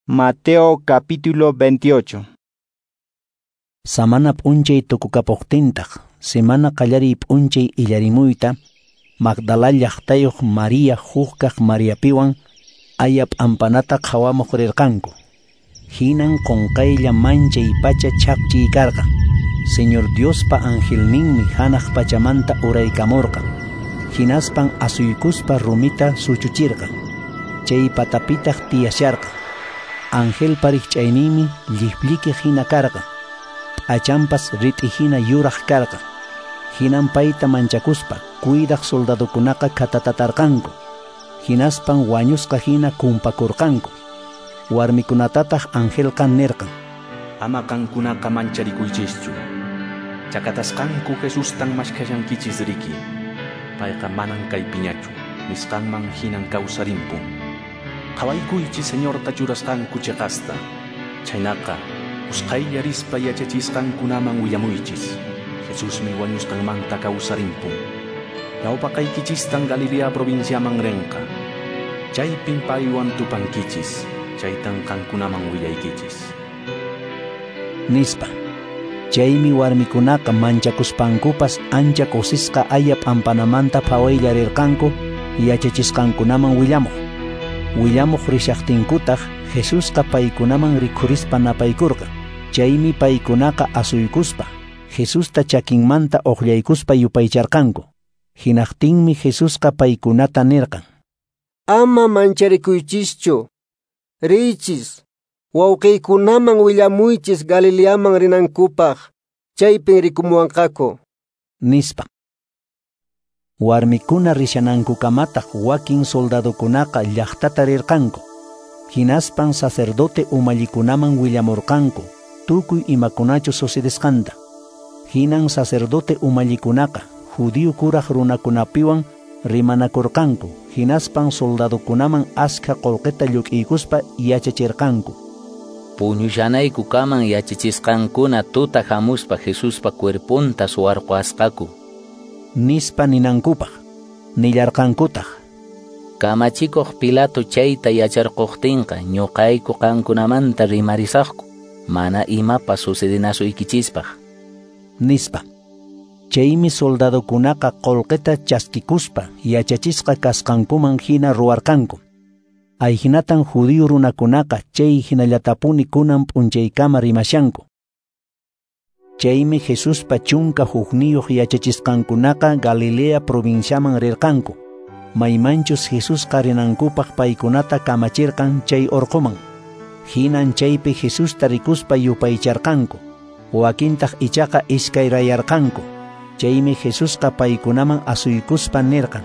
Mateo capítulo 28. Samana p'unchay tukukapuqtintaq, semana qallariy p'unchay illarimuyta, Magdala llaqtayuq María hukkaq Mariapiwan aya p'ampanata qhawamuq rirqanku. Hinan qunqaylla manchay pacha chhaqchiy karqan. Señor Diospa angelninmi hanaq pachamanta uraykamurqan. Hinaspan asuykuspa rumita suchuchirqan. Chay patapitaq tiyasharqan. Angelpa rikch'ayninmi lliplliki hina karqan. P'achanpas rit'i hina yuraq karqan. Hinan payta manchakuspa cuidaq soldadokunaqa khatatatarqanku. Hinaspan wañusqa hina kumpakurqanku. Warmikunatataq angelqa nirqan: Ama qankunaqa mancharikuychischu. Chakatasqanku Jesustan maskhashankichis riki. Payqa manan kaypiñachu, nisqanman hinan kawsarimpun. Qhawaykuychis Señorta churasqanku cheqasta. Chhaynaqa, usqhaylla rispa yachachisqankunaman willamuychis. Jesusmi wañusqanmanta kawsarimpun. Ñawpaqaykichistan Galilea provinciaman rinqa. Chaypin paywan tupankichis. Chaytan qankunaman willaykichis. Nispa. Chaymi warmikunaqa manchakuspankupas ancha kusisqa aya p'ampanamanta phawaylla rirqanku yachachisqankunaman willamuq. Willamuq rishaqtinkutaq Jesusqa paykunaman rikhurispa napaykurqan. Chaymi paykunaqa asuykuspa Jesusta chakinmanta uqllaykuspa yupaycharqanku. Hinaqtinmi Jesusqa paykunata nirqan: Ama mancharikuychischu. Riychis, wawqiykunaman willamuychis Galileaman rinankupaq, chaypin rikumuwanqaku. Nispa. Warmikuna rishanankukamataq wakin soldadokunaqa llaqtata rirqanku. Hinaspan sacerdote umallikunaman willamurqanku tukuy imakunachu sucedesqanta. Hinan sacerdote umallikunaqa judío kuraq runakunapiwan rimanakurqanku. Hinaspan soldadokunaman askha qullqita lluk'iykuspa yachachirqanku. Puñushanaykukaman yachachisqankuna tuta hamuspa Jesuspa cuerponta suwarqasqaku. Nispa ninankupaq. Nillarqankutaq: Kamachikuq Pilato chayta yacharquqtinqa ñuqayku qankunamanta rimarisaqku, mana imapas sucedinasuykichispaq. Nispa. Chaymi soldadokunaqa qullqita chaskikuspa yachachisqa kasqankuman hina ruwarqanku. Ayhinatan judío runakunaqa chay hinallatapuni kunan p'unchaykama rimashanku. Chaymi Jesuspa 11 yachachisqankunaqa Galilea provinciaman rirqanku. Maymanchus Jesusqa rinankupaq paykunata kamachirqan chay orqoman. Hinan chaypi Jesusta rikuspa yupaycharqanku. Wakintaq ichaqa iskayrayarqanku. Chaymi Jesusqa paykunaman asuykuspa nirqan: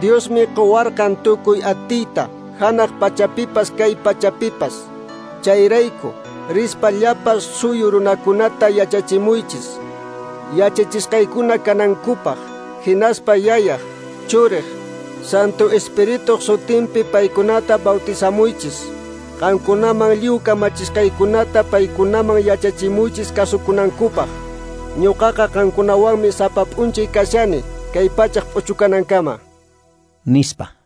Diosmi quwarqan tukuy atiyta, hanaq pachapipas kay pachapipas. Chayrayku, rispa llapa suyu runakunata yachachimuychis. Yachachisqaykuna kanankupaq, hinaspa yayaq, churiq, Santo Espirituq sutinpi paykunata bautizamuychis. Qankunaman lliw kamachisqaykunata paykunaman yachachimuychis kasukunankupaq. Ñuqaqa qankunawanmi sapa p'unchay kashani, kay pachaq p'uchukanankama. Nispa.